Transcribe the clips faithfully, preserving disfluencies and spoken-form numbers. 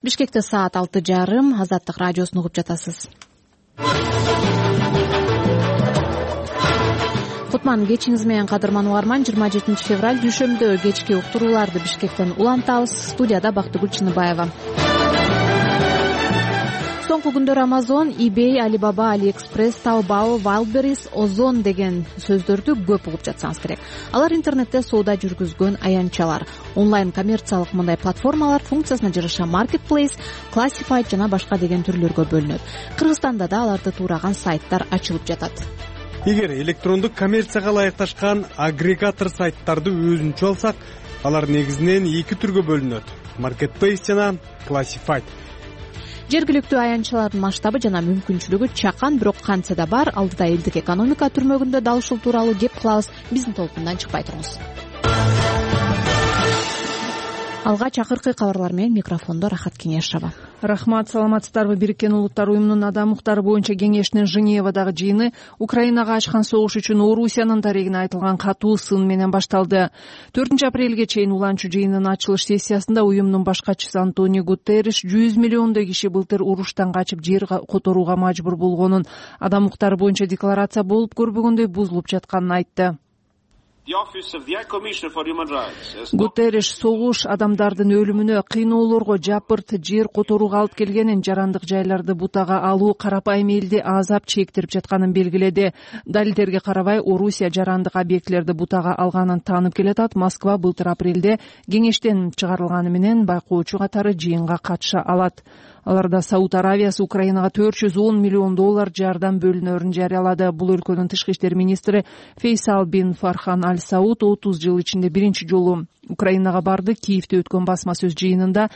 Бишкекте саат алты жарым. Азаттык радиосун угуп жатасыз. Кутман кечиңиз менен кадырман угарман. жыйырма жетинчи февраль дүйшөмбүдө кечки уктурууларды Бишкектен улантабыз. Студияда Бактыгүл Чыныбаева. Соңку күндөр Amazon, eBay, Alibaba, AliExpress, Taobao, Wildberries, Ozon деген сөздөрдү көп угуп жатсаңыз керек. Алар интернетте соода жүргүзгөн аянтчалар. Онлайн коммерциялык мындай платформалар функциясына жараша marketplace, classified жана башка деген түрлөргө бөлүнөт. Кыргызстанда да аларды туураган сайттар ачылып жатат. Эгер электрондук коммерцияга ылайыкташкан агрегатор сайттарды өзүнчө алсак, алар негизинен эки түргө бөлүнөт: marketplace жана classified. Жергиликтүү аянтчалардын масштабы жана мүмкүнчүлүгү чакан, бирок кантсе да бар. Алдыда элдик экономика түрмөгүндө дал ушул тууралуу кеп кылабыз. Биздин толкундан чыкпай туруңуз. Алгач акыркы кабарлар менен микрофондо Рахат Кеңешова. Рахмат, саламатсыздарбы? Бириккен Улуттар уюмунун адам укуктары боюнча кеңешинин Женевадагы жыйыны Украинага ачкан согуш үчүн Орусиянын дарегине айтылган катуу сын менен башталды. төртүнчү апрелге чейин уланчу жыйынын ачылыш сессиясында уюмдун баш катчысы Антонио Гутерриш жүз миллиондой киши былтыр уруштан качып жер которууга мажбур болгонун, адам укуктары боюнча декларация болуп көрбөгөндөй бузулуп жатканын айтты. Гутерриш согуш адамдардын өлүмүнө, кыйноолорго, жапырт жер которууга алып келгенин, жарандык жайларды бутага алуу карапайым элди азап чектирип жатканын белгиледи. Далилдерге карабай, Орусия жарандык объектилерди бутага алганын таанып келатат. Москва былтыр апрелде кеңештен чыгарылганы менен байкоочу катары жыйынга катыша алат. Аларда Сауд Аравиясы Украинага төрт жүз он миллион доллар жардам бөлүнөрүн жарыялады. Бул өлкөнүн тышкы иштер министри Фейсал бин Фархан Аль Сауд отуз жыл ичинде биринчи жолу Украинага барды. Киевде өткөн басма сөз жыйынында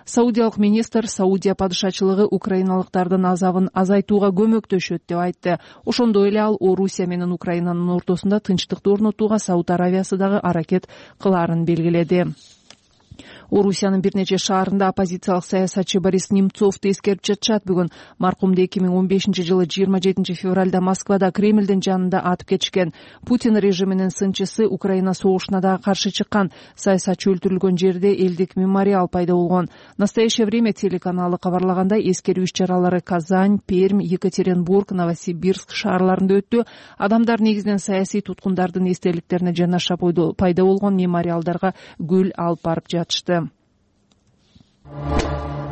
саудиялык министр Саудия падышачылыгы украиналыктардын азабын азайтууга көмөктөшөт деп айтты. Ошондой эле ал Орусия менен Украинанын ортосунда тынчтыкты орнотууга Сауд Аравиясы дагы аракет кылаарын белгиледи. Орусиянын бир нече шаарында оппозициялык саясатчы Борис Немцовду эскерип жатышат. Бүгүн маркумду эки миң он бешинчи жылы жыйырма жетинчи февралда Москвада Кремлдин жанында атып кетишкен. Путин режиминин сынчысы Украина согушуна дагы каршы чыккан. Саясатчы өлтүрүлгөн жерде элдик мемориал пайда болгон. Настоящее время телеканалы кабарлагандай, эскерүү иш-чаралары Казань, Пермь, Екатеринбург, Новосибирск шаарларында өттү. Адамдар негизинен саясий туткундардын эстеликтерине жанаша пайда болгон мемориалдарга гүл алып барып жатышты.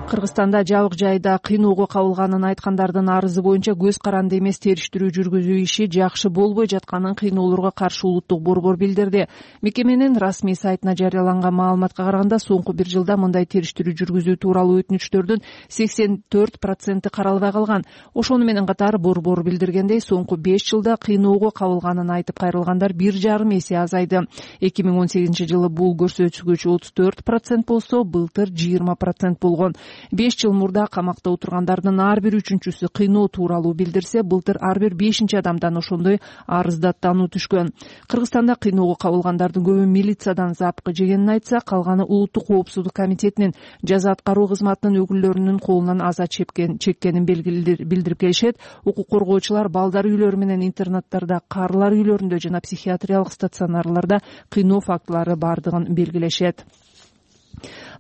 Кыргызстанда жабык жайда кыйноого кабылганын айткандардын арызы боюнча көз каранды эмес териштирүү жүргүзүү иши жакшы болбой жатканын кыйноолорго каршы улуттук борбор билдирди. Мекеменин расмий сайтына жарыяланган маалыматка караганда, соңку бир жылда мындай териштирүү жүргүзүү тууралуу өтүнүчтөрдүн сексен төрт проценти каралбай калган. Ошону менен катар борбор билдиргендей, соңку беш жылда кыйноого кабылганын айтып кайрылгандар бир жарым эсе азайды. эки миң он сегизинчи жылы бул көрсөткүч отуз төрт процент болсо, былтыр жыйырма процент болгон. беш жыл мурда камакта отургандардын ар бир үчүнчүсү кыйноо тууралуу билдирсе, былтыр ар бир бешинчи адамдан ошондой арыздаттануу түшкөн. Кыргызстанда кыйноого кабылгандардын көбү милициядан запкы жегенин айтса, калганы улуттук коопсуздук комитетинин, жаза аткаруу кызматынын өкүлдөрүнүн колунан аза чеккенин билдирип келишет. Укук коргоочулар балдар үйлөрү менен интернаттарда, карылар үйлөрүндө жана психиатриялык стационарларда кыйноо фактылары бардыгын белгилешет.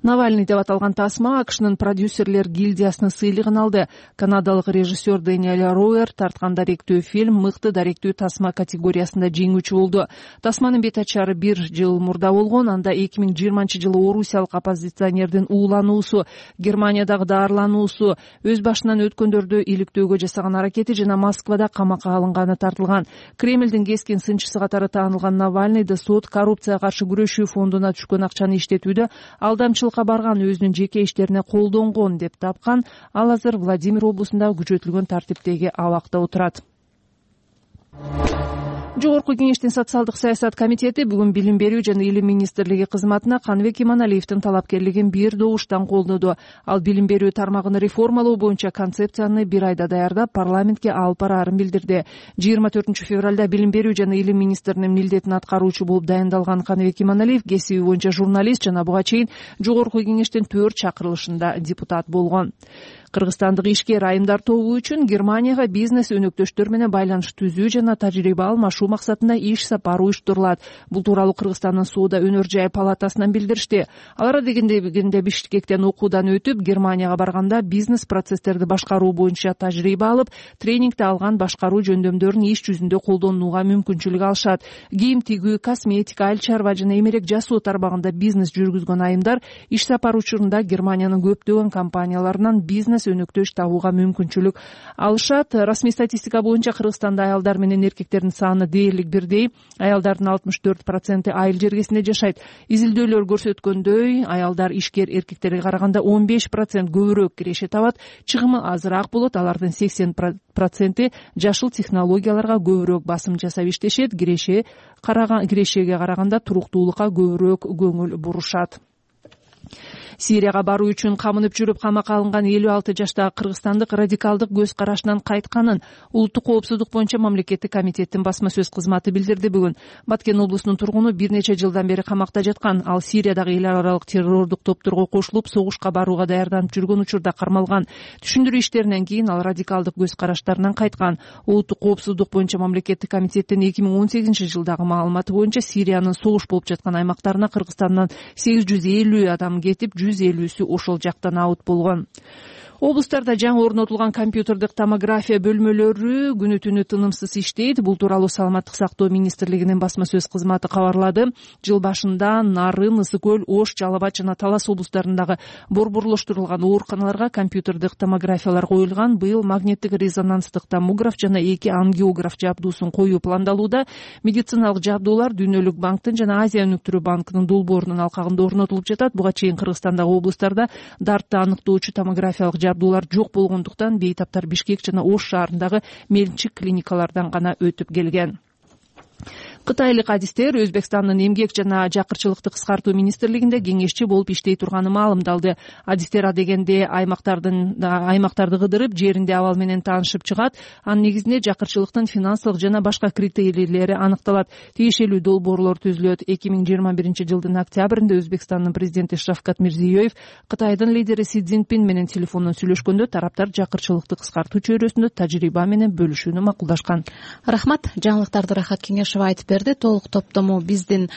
Навальный деп аталган тасма АКШнын продюсерлер гильдиясынын сыйлыгын алды. Канадалык режиссер Дэниэл Роуэр тарткан даректүү фильм мыкты даректүү тасма категориясында жеңүүчү болду. Тасманын бет ачары бир жыл мурда болгон. Анда эки миң жыйырманчы жылы орусиялык оппозиционердин уулануусу, Германиядагы даарылануусу, өз башынан өткөндөрдү иликтөөгө жасаган аракети жана Москвада камакка алынганы тартылган. Кремлдин кескин сынчысы катары таанылган Навальныйды сот коррупцияга каршы күрөшүү фондуна түшкөн акчаны иштетүүдө алдамчылыкка барган, өзүнүн жеке иштерине колдонгон деп тапкан. Ал азыр Владимир облусунда күчөтүлгөн тартиптеги абакта отурат. Жогорку кеңештин социалдык саясат комитети бүгүн билим берүү жана илим министрлиги кызматына Каныбек Иманалиевдин талапкерлигин бир добуштан колдоду. Ал билим берүү тармагын реформалоо боюнча концепцияны бир айда даярдап, парламентке алып бараарын билдирди. жыйырма төртүнчү февралда билим берүү жана илим министринин милдетин аткаруучу болуп дайындалган Каныбек Иманалиев кесиби боюнча журналист жана буга чейин жогорку кеңештин төрт чакырылышында депутат болгон. Кыргызстандык ишкер айымдар тобу үчүн Германияга бизнес өнөктөштөр менен байланыш түзүү жана тажрыйба алмашуу максатында иш сапар уюштурулат. Бул тууралуу Кыргызстандын соода өнөр жай палатасынан билдиришти. Алар адегенде Бишкектен окуудан өтүп, Германияга барганда бизнес процесстерди башкаруу боюнча тажрыйба алып, тренингде алган башкаруу жөндөмдөрүн иш жүзүндө колдонууга мүмкүнчүлүк алышат. Кийим тигүү, косметика, айыл чарба жана эмерек жасоо тармагында бизнес жүргүзгөн айымдар иш сапар учурунда Германиянын көптөгөн компанияларынан бизнес өнөктөш табууга мүмкүнчүлүк алышат. Расмий статистика боюнча Кыргызстанда аялдар менен эркектердин саны дээрлик бирдей. Аялдардын алтымыш төрт проценти айыл жергесинде жашайт. Изилдөөлөр көрсөткөндөй, аялдар ишкер эркектерге караганда он беш процент көбүрөөк киреше табат, чыгымы азыраак болот. Алардын сексен проценти жашыл технологияларга көбүрөөк басым жасап иштешет. Киреше караган кирешеге караганда туруктуулукка көбүрөөк көңүл бурушат. Сирияга баруу үчүн камынып жүрүп камакка алынган элүү алты жаштагы кыргызстандык радикалдык көз карашынан кайтканын Улуттук коопсуздук боюнча мамлекеттик комитеттин басма сөз кызматы билдирди бүгүн. Баткен облусунун тургуну бир нече жылдан бери камакта жаткан. Ал Сириядагы эл аралык террордук топторго кошулуп, согушка барууга даярданып жүргөн учурда кармалган. Түшүндүрүү иштеринен кийин ал радикалдык көз караштарынан кайткан. Улуттук коопсуздук боюнча мамлекеттик комитеттин эки миң он сегизинчи жылдагы маалыматы боюнча Сириянын согуш болуп жаткан аймактарына Кыргызстандан сегиз жүз элүү адам кетип, жүз элүүсү ошол жактан абут болгон. Облустарда жаңы орнотулган компьютердик томография бөлмөлөрү күнү түнү тынымсыз иштейт. Бул тууралуу Саламаттык сактоо министрлигинин басма сөз кызматы кабарлады. Жыл башында Нарын, Ысык көл, Ош, Жалал Абад жана Талас облустарындагы борборлоштурулган ооруканаларга компьютердик томографиялар коюлган. Быйыл магниттик резонанстык томограф жана эки ангиограф жабдуусун коюу пландалууда. Медициналык жабдуулар Дүйнөлүк банктын жана Азия өнүктүрүү банкынын долбоорунун алкагында орнотулуп жатат. Буга чейин Кыргызстандагы облустарда дартты аныктоочу томографиялык жабдуулар жок болгондуктан бейтаптар Бишкек жана Ош шаарындагы мелчик клиникалардан гана өтүп келген. Кытайлык адистер Өзбекстандын эмгек жана жакырчылыкты кыскартуу министрлигинде кеңешчи болуп иштей турганы маалымдалды. Адистер адегенде аймактардын аймактарды кыдырып, жеринде абал менен таанышып чыгат. Анын негизинде жакырчылыктын финансылык жана башка критерийлери аныкталат. Тиешелүү долбоорлор түзүлөт. эки миң жыйырма биринчи жылдын октябрында Өзбекстандын президенти Шавкат Мирзиёев Кытайдын лидери Си Цзиньпин менен телефондон сүйлөшкөндө тараптар жакырчылыкты кыскартуу чөйрөсүндө тажрыйба менен бөлүшүүнү макулдашкан. Рахмат. Жаңылыктарды Рахат Кеңешева айтып берди. Толук топтому биздин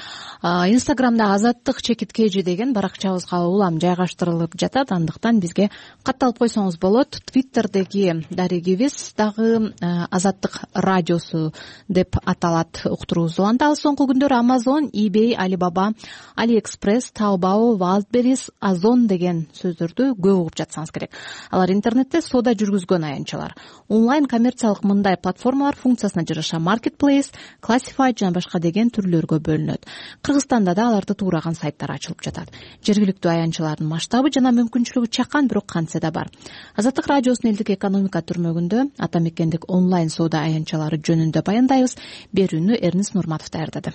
Инстаграмда Азаттык чекит кж деген баракчабызга улам жайгаштырылып жатат. Андыктан бизге катталып койсоңуз болот. Твиттердеги дарегибиз дагы Азаттык радиосу деп аталат. Уктуруубуз уланды. Ал соңку күндөр Amazon, eBay, Alibaba, AliExpress, Taobao, Wildberries, Ozon деген сөздөрдү көп угуп жатсаңыз керек. Алар интернетте соода жүргүзгөн аянтчалар. Онлайн коммерциялык мындай платформалар функциясына жараша Marketplace, Classified жана башка деген түрлөргө бөлүнөт. Кыргызстанда да аларды туураган сайттар ачылып жатат. Жергиликтүү аянтчалардын масштабы жана мүмкүнчүлүгү чакан, бирок кантсе да бар. Азаттык радиосунун элдик экономика түрмөгүндө ата мекендик онлайн соода аянтчалары жөнүндө баяндайбыз. Берүүнү Эрнис Нурматов даярдады.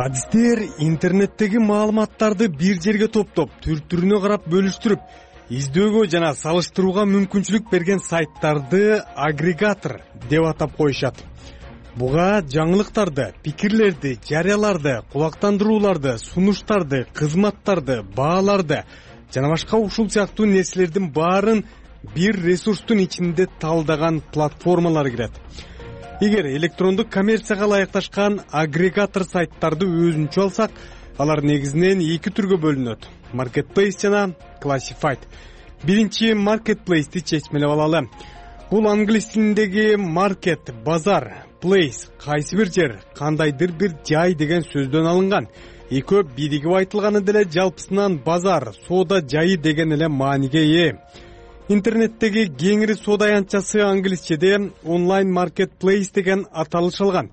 Адистер интернеттеги маалыматтарды бир жерге топтоп, түр-түрүнө карап бөлүштүрүп, издөөгө жана салыштырууга мүмкүнчүлүк берген сайттарды агрегатор деп атап коюшат. Буга жаңылыктарды, пикирлерди, жарыяларды, кулактандырууларды, сунуштарды, кызматтарды, бааларды жана башка ушул сыяктуу нерселердин баарын бир ресурстун ичинде талдаган платформалар кирет. Эгер электрондук коммерцияга ылайыкташкан агрегатор сайттарды өзүнчө алсак, алар негизинен эки түргө бөлүнөт: Marketplace жана Classified. Биринчи Marketplace'ти чечмелеп алалы. Бул англис тилиндеги market, базар, place, кайсы бир жер, кандайдыр бир жай деген сөздөн алынган. Экөө биригип айтылганы деле жалпысынан базар, соода жайы деген эле мааниге ээ. Интернеттеги кеңири соода аянтчасы англисчеде онлайн marketplace деген аталыш алган.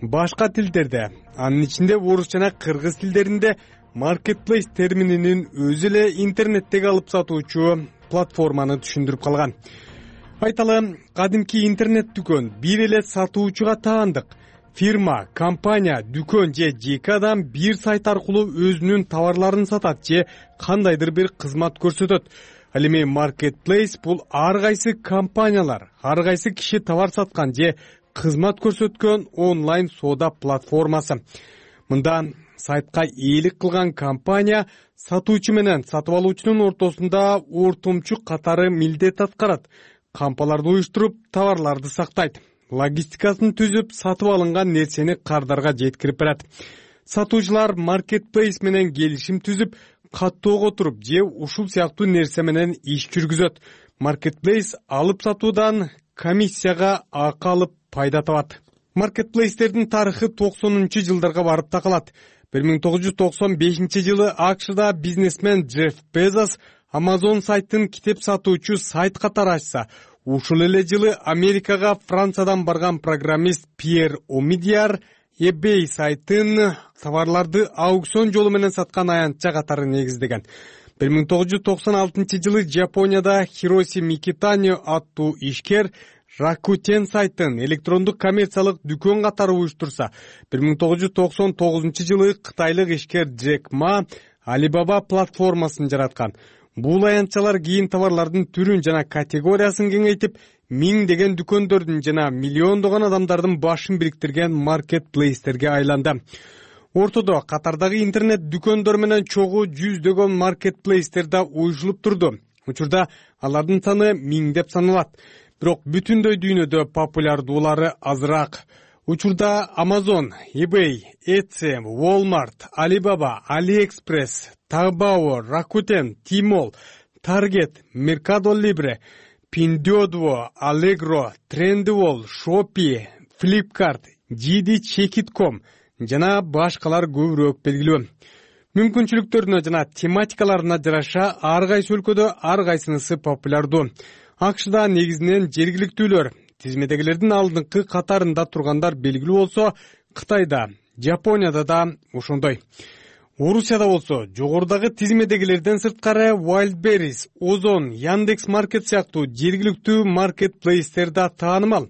Башка тилдерде, анын ичинде орус жана кыргыз тилдеринде marketplace термининин өзү эле интернеттеги алып сатуучу платформаны түшүндүрүп калган. Айталы, кадимки интернет дүкөн бир эле сатуучуга таандык. Фирма, компания, дүкөн же жеке адам бир сайт аркылуу өзүнүн товарларын сатат же кандайдыр бир кызмат көрсөтөт. Ал эми Marketplace бул ар кайсы компаниялар, ар кайсы киши товар саткан же кызмат көрсөткөн онлайн соода платформасы. Мында сайтка ээлик кылган компания сатуучу менен сатып алуучунун ортосунда ортомчу катары милдет аткарат. Кампаларды уюштуруп, товарларды сактайт. Логистикасын түзүп, сатып алынган нерсени кардарга жеткирип берет. Сатуучулар маркетплейс менен келишим түзүп, каттоого туруп же ушул сыяктуу нерсе менен иш жүргүзөт. Маркетплейс алып сатуудан комиссияга акы алып пайда табат. Маркетплейстердин тарыхы токсонунчу жылдарга барып такалат. бир миң тогуз жүз токсон бешинчи жылы АКШда бизнесмен Джефф Безос Amazon сайтын китеп сатуучу сайт катары ачса, ушул эле жылы Америкага Франциядан барган программист Пьер Омидиар eBay сайтын товарларды аукцион жолу менен саткан аянтча катары негиздеген. бир миң тогуз жүз токсон алтынчы жылы Жапонияда Хироси Микитани аттуу ишкер Rakuten сайтын электрондук коммерциялык дүкөн катары уюштурса, бир миң тогуз жүз токсон тогузунчу жылы кытайлык ишкер Джек Ма Alibaba платформасын жараткан. Бул аянтчалар кийин товарлардын түрүн жана категориясын кеңейтип, миңдеген дүкөндөрдүн жана миллиондогон адамдардын башын бириктирген маркетплейстерге айланды. Ортодо катардагы интернет дүкөндөр менен чогуу жүздөгөн маркетплейстер да уюшулуп турду. Учурда алардын саны миңдеп саналат. Бирок бүтүндөй дүйнөдө популярдуулары азыраак. Учурда Amazon, eBay, Etsy, Walmart, Alibaba, AliExpress, Taobao, Rakuten, Tmall, Target, Mercado Libre, Pinduoduo, Allegro, Trendyol, Shopee, Flipkart, джи ди чекит точка ком жана башкалар көбүрөөк белгилүү. Мүмкүнчүлүктөрүнө жана тематикаларына жараша ар кайсы өлкөдө ар кайсынысы популярдуу. АКШда негизинен жергиликтүүлөр, тизмедегилердин алдыңкы катарында тургандар белгилүү болсо, Кытайда, Жапонияда да ошондой. Орусияда болсо, жогорудагы тизмедегилерден сырткары Wildberries, Озон, Яндекс.Маркет сыяктуу жергиликтүү маркетплейстер да таанымал.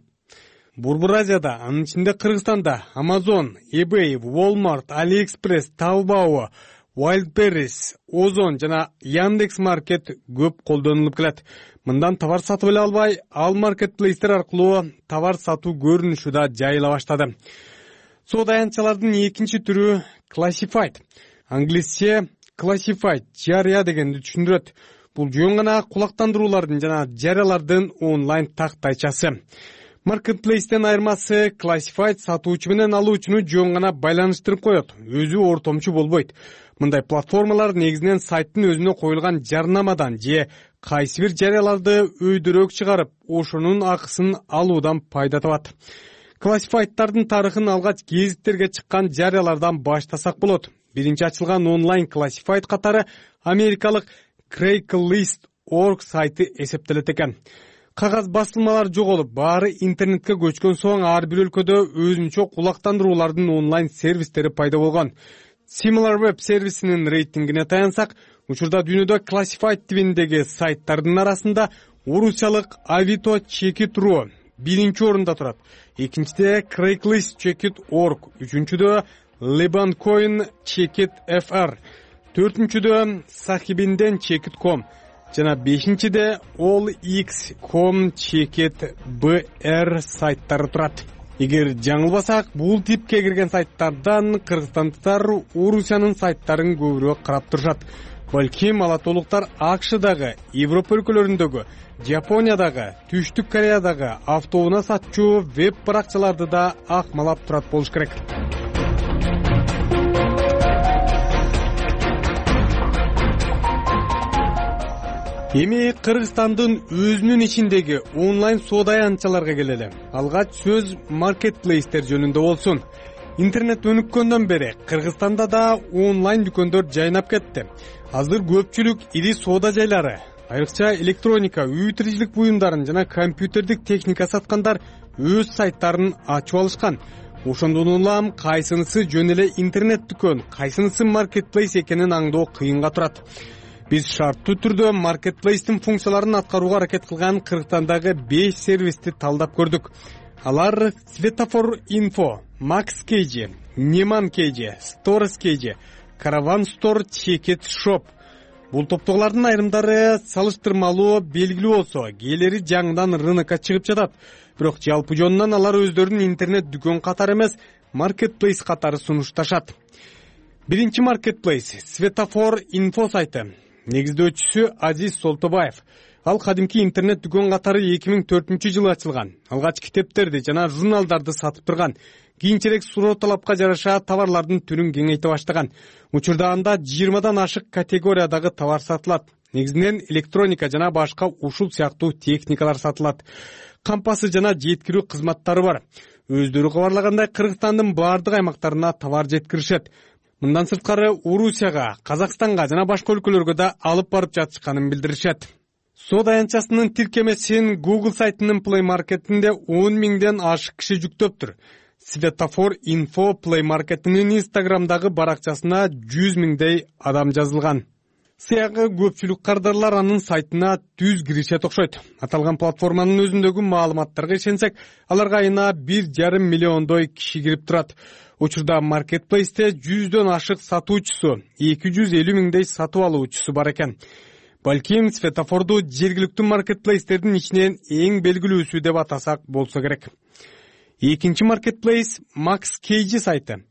Борбор Азияда, анын ичинде Кыргызстанда Amazon, eBay, Walmart, AliExpress, Taobao, Wildberries, Озон жана Яндекс.Маркет көп колдонулуп келет. Мындан товар сатып эле албай, ал маркетплейстер аркылуу товар сатуу көрүнүшү да жайыла баштады. Соода аянтчалардын экинчи түрү Classified. Англисче Classified жарыя дегенди түшүндүрөт. Бул жөн гана кулактандыруулардын жана жарыялардын онлайн тактайчасы. Маркетплейстен айырмасы Classified сатуучу менен алуучуну жөн гана байланыштырып коет, өзү ортомчу болбойт. Мындай платформалар негизинен сайттын өзүнө коюлган жарнамадан же кайсы бир жарыяларды өйдөрөөк чыгарып, ошонун акысын алуудан пайда табат. Classified'тардын тарыхын алгач гезиттерге чыккан жарыялардан баштасак болот. Биринчи ачылган онлайн Classified катары америкалык Craigslist точка org сайты эсептелет экен. Кагаз басылмалар жоголуп, баары интернетке көчкөн соң ар бир өлкөдө өзүнчө кулактандыруулардын онлайн сервистери пайда болгон. SimilarWeb сервисинин рейтингине таянсак, учурда дүйнөдө Classified тибиндеги сайттардын арасында орусиялык Авито Чекит.ру биринчи орунда турат. Экинчиде Craigslist Чекит точка org, үчүнчүдө Lebancoin Чекит эф ар, төртүнчүдө Сахибинден Чекит точка ком жана бешинчиде All X точка ком Чекит бэ эр сайттары турат. Эгер жаңылбасак, бул типке кирген сайттардан кыргызстандыктар Орусиянын сайттарын көбүрөөк карап турушат. Балким ала толуктар АКШдагы, Европа өлкөлөрүндөгү, Жапониядагы, Түштүк Кореядагы автоунаа сатчу веб баракчаларды да акмалап турат болуш керек. Эми Кыргызстандын өзүнүн ичиндеги онлайн соода аянтчаларга келели. Алгач сөз маркетплейстер жөнүндө болсун. Интернет өнүккөндөн бери Кыргызстанда да онлайн дүкөндөр жайнап кетти. Азыр көпчүлүк ири соода жайлары, айрыкча электроника, үй тиричилик буюмдарын жана компьютердик техника саткандар өз сайттарын ачып алышкан. Ошондон улам кайсынысы жөн эле интернет дүкөн, кайсынысы маркетплейс экенин аңдоо кыйынга турат. Биз шарттуу түрдө маркетплейстин функцияларын аткарууга аракет кылган Кыргызстандагы беш сервисти талдап көрдүк. Алар Светофор Инфо, Макс Кейджи, Неман Кейджи, Сторс Кейджи, Караван Стор, Чекит Шоп. Бул топтогулардын айрымдары салыштырмалуу белгилүү болсо, кээлери жаңыдан рынокко чыгып жатат. Бирок жалпы жонунан алар өздөрүнүн интернет дүкөн катары эмес, маркетплейс катары сунушташат. биринчи маркетплейс Светофор инфо сайты. Негиздөөчүсү Азиз Солтобаев. Ал кадимки интернет дүкөн катары эки миң төртүнчү жылы ачылган. Алгач китептерди жана журналдарды сатып турган. Кийинчерээк суроо талапка жараша товарлардын түрүн кеңейте баштаган. Учурда анда жыйырмадан ашык категориядагы товар сатылат. Негизинен электроника жана башка ушул сыяктуу техникалар сатылат. Кампасы жана жеткирүү кызматтары бар. Өздөрү кабарлагандай, Кыргызстандын баардык аймактарына товар жеткиришет. Мындан сырткары Орусияга, Казакстанга жана башка өлкөлөргө да алып барып жатышканын билдиришет. Соода аянтчасынын тиркемесин Google сайтынын Play Market'инде он миңден ашык киши жүктөптүр. Светофор инфо Play Market'инин Instagram'дагы баракчасына жүз миңдей адам жазылган. Сыягы көпчүлүк кардарлар анын сайтына түз киришет окшойт. Аталган платформанын өзүндөгү маалыматтарга ишенсек, аларга айына бир жарым миллиондой киши кирип турат. Учурда маркетплейсте жүздөн ашык сатуучусу, эки жүз элүү миңдей сатып алуучусу бар экен. Балким Светофорду жергиликтүү маркетплейстердин ичинен эң белгилүүсү деп атасак болсо керек. Экинчи маркетплейс Макс Кейджи сайты.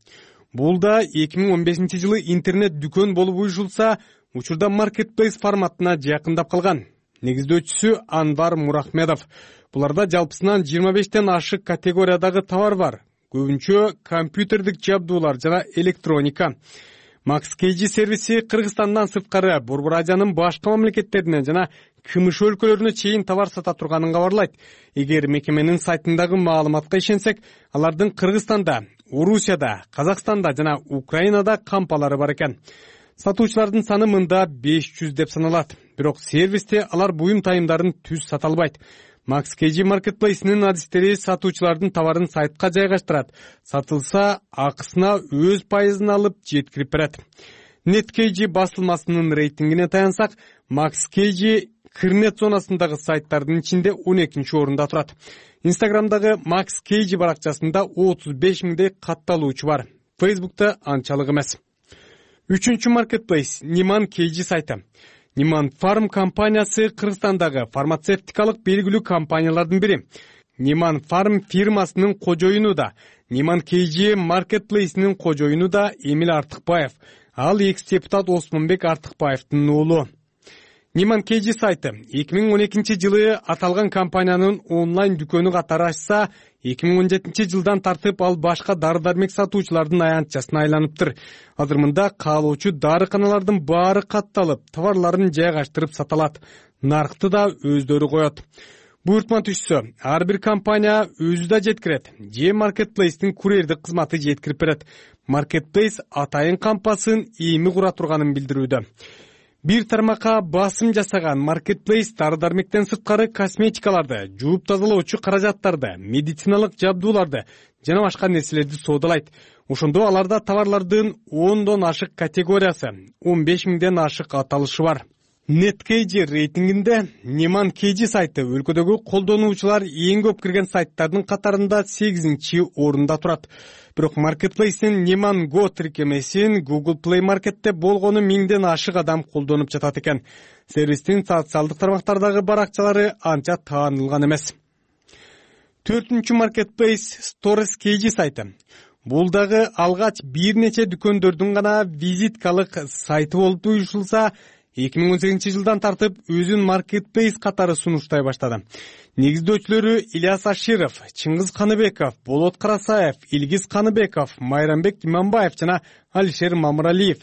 Бул да эки миң он бешинчи жылы интернет дүкөн болуп уюшулса, учурда маркетплейс форматына жакындап калган. Негиздөөчүсү Анвар Мурахмедов. Буларда жалпысынан жыйырма бештен ашык категориядагы товар бар. Көбүнчө компьютердик жабдуулар жана электроника. Макс Кейджи сервиси Кыргызстандан сырткары Борбор Азиянын башка мамлекеттерине жана КМШ өлкөлөрүнө чейин товар сата турганын кабарлайт. Эгер мекеменин сайтындагы маалыматка ишенсек, алардын Кыргызстанда, Орусияда, Казакстанда жана Украинада кампалары бар экен. Сатуучулардын саны мында беш жүз деп саналат. Бирок сервисте алар буюм тайымдарын түз сата албайт. Макс Кейджи маркетплейсинин адистери сатуучулардын товарын сайтка жайгаштырат. Сатылса, акысына өз пайызын алып жеткирип берет. NetKeyджи басылмасынын рейтингине таянсак, Макс Кейджи Кырнет зонасындагы сайттардын ичинде он экинчи орунда турат. Инстаграмдагы Макс Кейджи баракчасында отуз беш миңдей катталуучу бар. Фейсбукта анчалык эмес. Үчүнчү маркетплейс Ниман Кейджи сайты. Ниман Фарм компаниясы Кыргызстандагы фармацевтикалык белгилүү компаниялардын бири. Ниман Фарм фирмасынын кожоюну да, Ниман Кейджи маркетплейсинин кожоюну да Эмил Артыкбаев. Ал экс-депутат Осмонбек Артыкбаевдин уулу. Ниман Кейджи сайты эки миң он экинчи жылы аталган компаниянын онлайн дүкөнү катары ачса, эки миң он жетинчи жылдан тартып ал башка дары-дармек сатуучулардын аянтчасына айланыптыр. Азыр мында каалоочу дарыканалардын баары катталып, товарларын жайгаштырып саталат. Наркты да өздөрү коет. Буйртма түшсө, ар бир компания өзү да жеткирет. Же маркетплейстин курьердик кызматы жеткирип берет. Маркетплейс атайын кампасын эми кура турганын билдирүүдө. Бир тармакка басым жасаган маркетплейс дары-дармектен сырткары косметикаларды, жууп тазалоочу каражаттарды, медициналык жабдууларды жана башка нерселерди соодалайт. Ошондо аларда товарлардын ондон ашык категориясы, он беш миңден ашык аталышы бар. NetKeyджи рейтингинде Ниман Кейджи сайты өлкөдөгү колдонуучулар эң көп кирген сайттардын катарында сегизинчи орунда турат. Бирок маркетплейстин Ниман Go тиркемесин Google Play Market'те болгону миңден ашык адам колдонуп жатат экен. Сервистин социалдык тармактардагы баракчалары анча таанылган эмес. Төртүнчү маркетплейс Stores Кейджи сайты. Бул дагы алгач бир нече дүкөндөрдүн гана визиткалык сайты болуп уюшулса, эки миң он сегизинчи жылдан тартып өзүн маркетплейс катары сунуштай баштады. Негиздөөчүлөрү Ильяс Аширов, Чыңгыз Каныбеков, Болот Карасаев, Илгиз Каныбеков, Майрамбек Иманбаев жана Алишер Мамыралиев.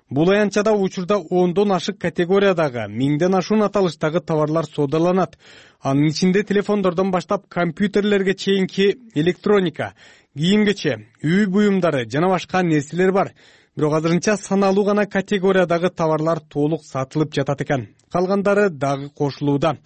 Бул аянтчада учурда ондон ашык категориядагы миңден ашуун аталыштагы товарлар соодаланат. Анын ичинде телефондордон баштап компьютерлерге чейинки электроника, кийим-кече, үй буюмдары жана башка нерселер бар. Бирок азырынча саналуу гана категориядагы товарлар толук сатылып жатат экен. Калгандары дагы кошулууда.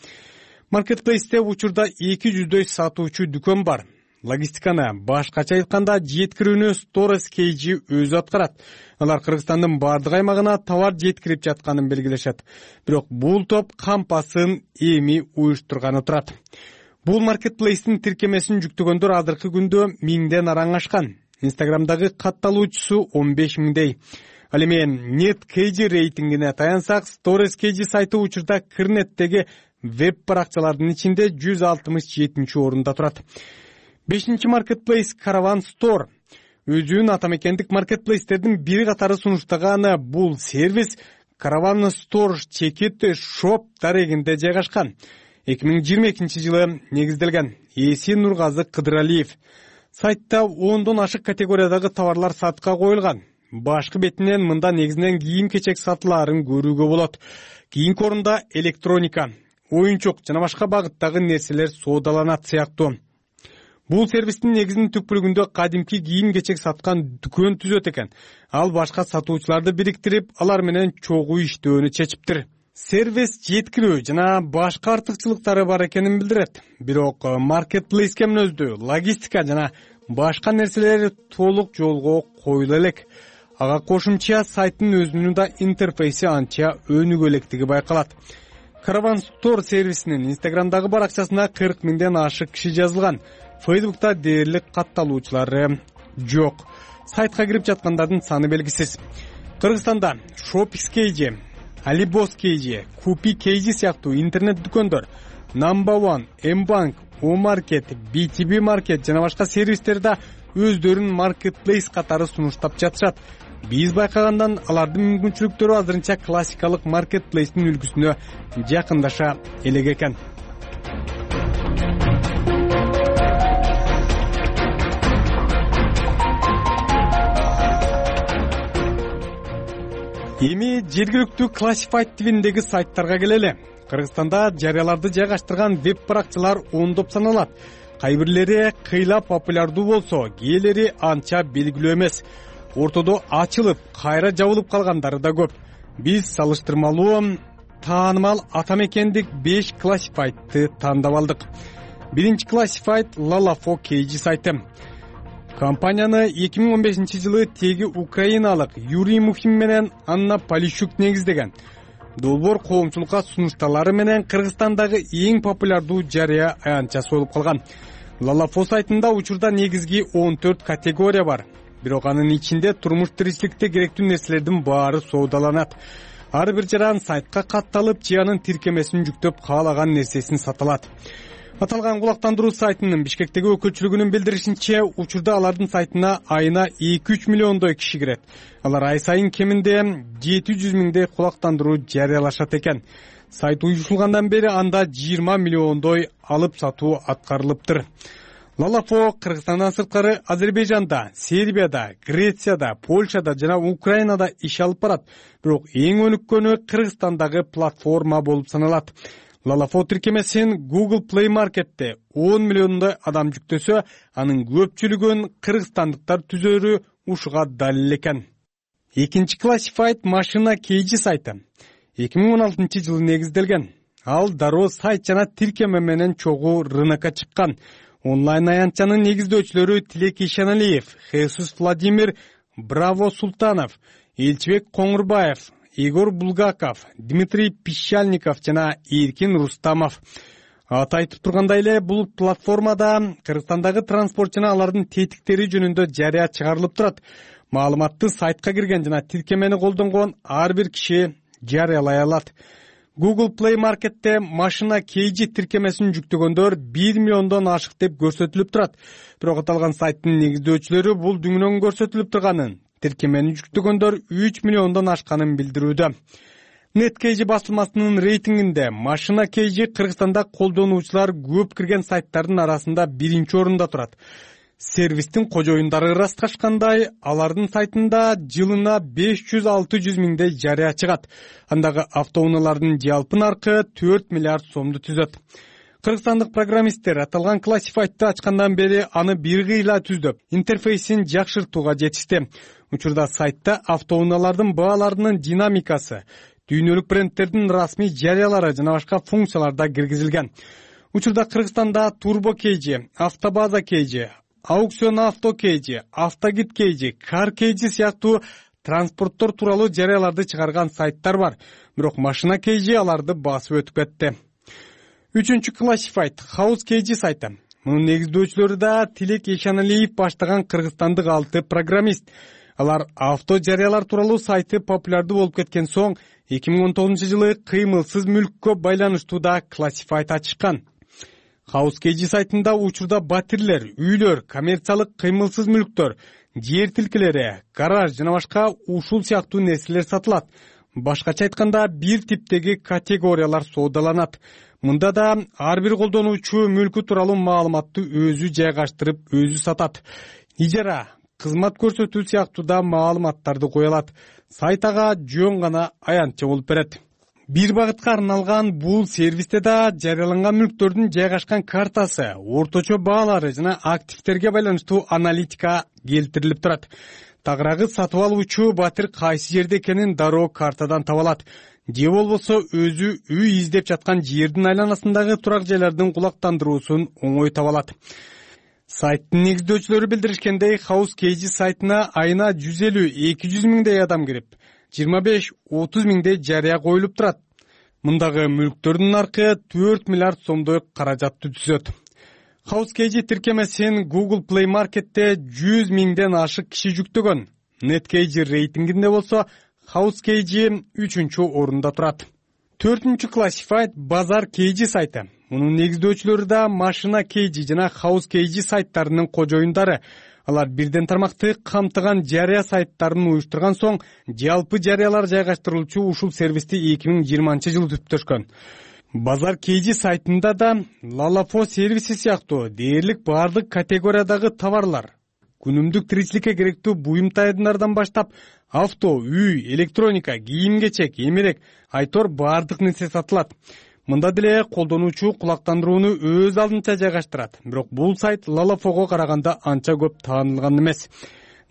Маркетплейсте учурда эки жүздөй сатуучу дүкөн бар. Логистиканы, башкача айтканда жеткирүүнү Stores Кейджи өзү аткарат. Алар Кыргызстандын бардык аймагына товар жеткирип жатканын белгилешет. Бирок бул топ кампасын эми уюштурганы турат. Бул маркетплейстин тиркемесин жүктөгөндөр азыркы күндө миңден араң ашкан. Инстаграмдагы катталуучусу он беш миңдей. Ал эми NetKeyджи рейтингине таянсак, Stores Кейджи сайты учурда Кырнеттеги веб баракчалардын ичинде жүз алтымыш жетинчи орунда турат. Бешинчи маркетплейс Caravan Store. өзүн атамекендик маркетплейстердин бири катары сунуштаган бул сервис Caravan Store чекит шоп дарегинде жайгашкан. эки миң жыйырма экинчи жылы негизделген. Эси Нургазы Кыдыралиев. Сайтта ондон ашык категориядагы товарлар сатка коюлган. Башкы бетинен мында негизинен кийим-кечек сатылаарын көрүүгө болот. Кийинки орунда электроника, оюнчук жана башка багыттагы нерселер соодаланат сыяктуу. Бул сервистин негизинин түпкүлүгүндө кадимки кийим-кечек саткан дүкөн түзөт экен. Ал башка сатуучуларды бириктирип, алар менен чогуу иштөөнү чечиптир. Сервис жеткирүү жана башка артыкчылыктары бар экенин билдирет. Бирок маркетплейске мүнөздүү логистика жана башка нерселер толук жолго коюла элек. Ага кошумча сайттын өзүнүн да интерфейси анча өнүгө электиги байкалат. Caravan Store сервисинин Instagramдагы баракчасына кырк миңден ашык киши жазылган. Facebook'ta дээрлик катталуучулары жок. Сайтка кирип жаткандардын саны белгисиз. Кыргызстанда Shopix Кейжи, Alibos Кейжи, Купи Кейжи сыяктуу интернет дүкөндөр, Number One, M-Bank, O-Market, би ти би Market жана башка сервистер да өздөрүн маркетплейс катары сунуштап жатышат. Биз байкагандан алардын мүмкүнчүлүктөрү азырынча классикалык маркетплейстин үлгүсүнө жакындаша элек экен. Эми жергиликтүү классифайд тибиндеги сайттарга келели. Кыргызстанда жарыяларды жайгаштырган веб-баракчалар ондоп саналат. Кайбирлери кыйла популярдуу болсо, кээделери анча белгилүү эмес. Ортодо ачылып, кайра жабылып калгандары да көп. Биз салыштырмалуу таанымал атамекендик беш классифайдты тандап алдык. Биринчи классифайд Lalafo Кейжи сайты. Компанияны эки миң он бешинчи жылы теги украиналык Юрий Мухин менен Анна Полищук негиздеген. Долбоор коомчулукка сунушталары менен Кыргызстандагы эң популярдуу жарыя аянтчасы болуп калган. Lalafo сайтында учурда негизги он төрт категория бар. Бирок анын ичинде турмуш тиричиликте керектүү нерселердин баары соодаланат. Ар бир жаран сайтка катталып, чыянын тиркемесин жүктөп, каалаган нерсесин сата алат. Аталган кулактандыруу сайтынын Бишкектеги өкүлчүлүгүнүн билдиришинче, учурда алардын сайтына айына эки үч миллиондой киши кирет. Алар ай сайын кеминде жети жүз миңдей кулактандыруу жарыялашат экен. Сайт уюшулгандан бери анда жыйырма миллиондой алып сатуу аткарылыптыр. Lalafo Кыргызстандан сырткары Азербайжанда, Сербияда, Грецияда, Польшада жана Украинада иш алып барат. Бирок эң өнүккөнү Кыргызстандагы платформа болуп саналат. Lalafo тиркемесин Google Play Market'te он миллиондой адам жүктөсө, анын көпчүлүгүн кыргызстандыктар түзөрү ушуга далил экен. Экинчи классифайд Машина Кейжи сайты. эки миң он алтынчы жылы негизделген. Ал дароо сайт жана тиркеме менен чогуу рынокко чыккан. Онлайн аянтчанын негиздөөчүлөрү Тилек Ишаналиев, Хесус Владимир, Браво Султанов, Элчибек Коңурбаев, Игорь Булгаков, Дмитрий Пищальников жана Эркин Рустамов. Аты айтып тургандай эле, бул платформада Кыргызстандагы транспорт жана алардын тетиктери жөнүндө жарыя чыгарылып турат. Маалыматты сайтка кирген жана тиркемени колдонгон ар бир киши жарыялай алат. Google Play Market'te Машина Кейжи тиркемесин жүктөгөндөр бир миллиондон ашык деп көрсөтүлүп турат. Бирок аталган сайттын негиздөөчүлөрү бул дүңнөн көрсөтүлүп турганын, тиркемени жүктөгөндөр үч миллиондон ашканын билдирүүдө. Неткейжи басылмасынын рейтингинде Машина Кейжи Кыргызстанда колдонуучулар көп кирген сайттардын арасында биринчи орунда турат. Сервистин кожоюндары ырасташкандай, алардын сайтында жылына беш жүз алты жүз миңдей жарыя чыгат. Андагы автоунаалардын жалпы наркы төрт миллиард сомду түзөт. Кыргызстандык программисттер аталган классифайтты ачкандан бери аны бир кыйла түздөп, интерфейсин жакшыртууга жетишти. Учурда сайтта автоунаалардын бааларынын динамикасы, дүйнөлүк брендтердин расмий жарыялары жана башка функциялар да киргизилген. Учурда Кыргызстанда Turbo Кейжи, Автобаза Кейжи, Аукцион Авто Кейжи, Автогид Кейжи, Кар Кейжи сыяктуу транспорттор тууралуу жарыяларды чыгарган сайттар бар. Бирок Машина Кейжи аларды басып өтүп кетти. Үчүнчү классифайд Хаус Кейжи сайты. Мунун негиздөөчүлөрү да Тилек Ишаналиев баштаган кыргызстандык алты программист. Алар авто жарыялар тууралуу сайты популярдуу болуп кеткен соң эки миң он тогузунчу жылы кыймылсыз мүлккө байланыштуу да классифайд ачышкан. HouseKG сайтында учурда батирлер, үйлөр, коммерциялык кыймылсыз мүлктөр, жер тилкелери, гараж жана башка ушул сыяктуу нерселер сатылат. Башкача айтканда, бир типтеги категориялар соодаланат. Мында да ар бир колдонуучу мүлкү тууралуу маалыматты өзү жайгаштырып, өзү сатат. Ижара, кызмат көрсөтүү сыяктуу да маалыматтарды кое алат. Сайт ага жөн гана аянтча болуп берет. Бир багытка арналган бул сервисте да жарыяланган мүлктөрдүн жайгашкан картасы, орточо баалары жана активтерге байланыштуу аналитика келтирилип турат. Тагыраагы сатып алуучу батир кайсы жерде экенин дароо картадан таба алат. Же болбосо өзү үй издеп жаткан жердин айланасындагы турак жайлардын кулактандыруусун оңой таба алат. Сайттын негиздөөчүлөрү билдиришкендей, HouseKG сайтына айына жүз элүү эки жүз миңдей адам кирип, жыйырма беш отуз миңдей жарыя коюлуп турат. Мындагы мүлктөрдүн наркы төрт миллиард сомдой каражатты түзөт. HouseKG тиркемесин Google Play Market'те жүз миңден ашык киши жүктөгөн. NetKG рейтингинде болсо HouseKG үчүнчү орунда турат. Төртүнчү Classified Базар KG сайты. Мунун негиздөөчүлөрү да Машина KG жана HouseKG сайттарынын кожоюндары. Алар бирден тармакты камтыган жарыя сайттарын уюштурган соң, жалпы жарыялар жайгаштырылуучу ушул сервисти эки миң жыйырманчы жылы түптөшкөн. Базар KG сайтында да Lalafo сервиси сыяктуу дээрлик бардык категориядагы товарлар, күнүмдүк тиричиликке керектүү буюм тайындардан баштап, авто, үй, электроника, кийим-кечек, эмерек, айтор бардык нерсе сатылат. Мында деле колдонуучу кулактандырууну өз алдынча жайгаштырат. Бирок бул сайт Lalafo'го караганда анча көп таанылган эмес.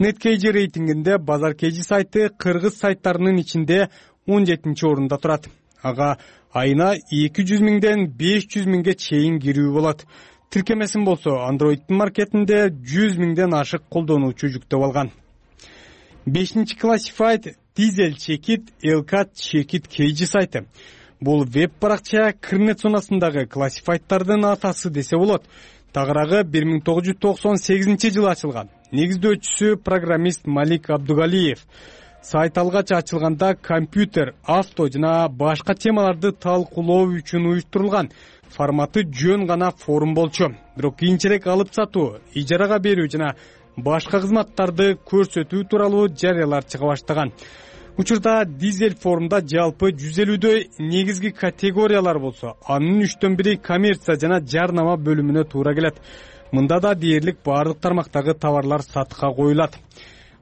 NetKG рейтингинде Базар KG сайты кыргыз сайттарынын ичинде он жетинчи орунда турат. Ага айына эки жүз миңден беш жүз миңге чейин кирүү болот. Тиркемесин болсо Android'дин маркетинде жүз миңден ашык колдонуучу жүктөп алган. бешинчи Classified Diesel Checkit Elkat Checkit KG сайты. Бул веб-баракча Кырнет зонасындагы классифайттардын атасы десе болот. Тагыраагы бир миң тогуз жүз токсон сегизинчи жылы ачылган. Негиздөөчүсү программист Малик Абдугалиев. Сайт алгач ачылганда компьютер, авто жана башка темаларды талкуулоо үчүн уюштурулган. Форматы жөн гана форум болчу. Бирок кийинчерээк алып сатуу, ижарага берүү жана башка кызматтарды көрсөтүү тууралуу жарыялар чыга баштаган. Учурда дизель форумда жалпы жүз элүүдөй негизги категориялар болсо, анын үчтөн бири коммерция жана жарнама бөлүмүнө туура келет. Мында да дээрлик бардык тармактагы товарлар сатыкка коюлат.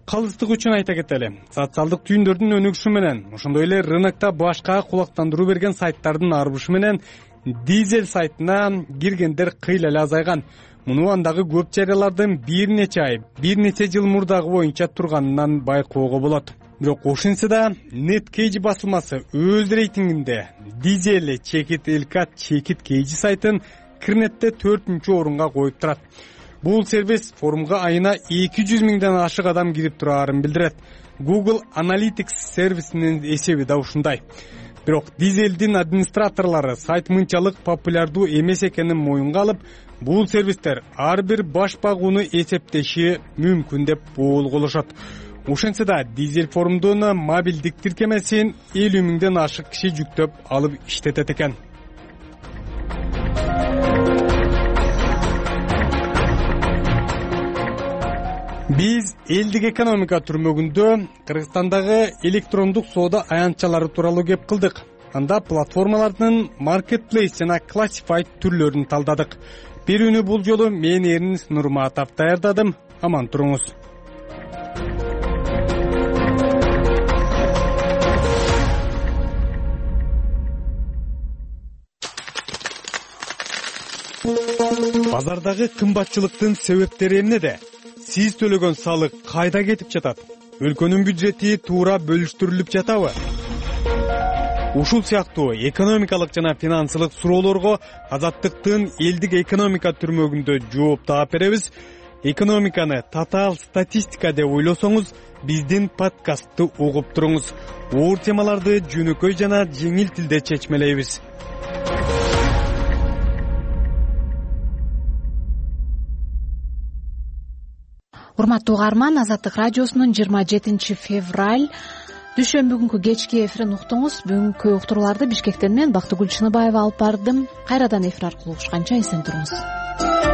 Калыстык үчүн айта кетели. Социалдык түйүндөрдүн өнүгүшү менен, ошондой эле рынокто башка кулактандыруу берген сайттардын арбышы менен дизель сайтына киргендер кыйла эле азайган. Муну андагы көп жарыялардын бир нече ай, бир нече жыл мурдагы боюнча турганынан байкоого болот. Бирок ошентсе да NetKG басылмасы өз рейтингинде Diesel Checkit Elkat Checkit KG сайтын Кырнетте төртүнчү орунга коюп турат. Бул сервис форумга айына эки жүз миңден ашык адам кирип турарын билдирет. Google Analytics сервисинин эсеби да ушундай. Бирок Diesel'дин администраторлору сайт мынчалык популярдуу эмес экенин моюнга алып, бул сервистер ар бир баш багууну эсептеши мүмкүн деп болголошот. Ошентсе да Diesel форумдун мобилдик тиркемесин элүү миңден ашык киши жүктөп алып иштетет экен. Биз элдик экономика түрмөгүндө Кыргызстандагы электрондук соода аянтчалары тууралуу кеп кылдык. Анда платформалардын marketplace жана classified түрлөрүн талдадык. Берүүнү бул жолу мен Эрнис Нурматов даярдадым. Аман туруңуз. Базардагы кымбатчылыктын себептери эмнеде? Сиз төлөгөн салык кайда кетип жатат? Өлкөнүн бюджети туура бөлүштүрүлүп жатабы? Ушул сыяктуу экономикалык жана финансылык суроолорго Азаттыктын элдик экономика түрмөгүндө жооп таап беребиз. Экономиканы татаал статистика деп ойлосоңуз, биздин подкастты угуп туруңуз. Оор темаларды жөнөкөй жана жеңил тилде чечмелейбиз. Урматтуу угарман, Азаттык радиосунун жыйырма жетинчи февраль дүйшөмбү күнкү кечки эфирин уктуңуз. Бүгүнкү уктурууларды Бишкектен мен Бактыгүл Чыныбаева алып бардым. Кайрадан эфир аркылуу угушканча эсен туруңуз.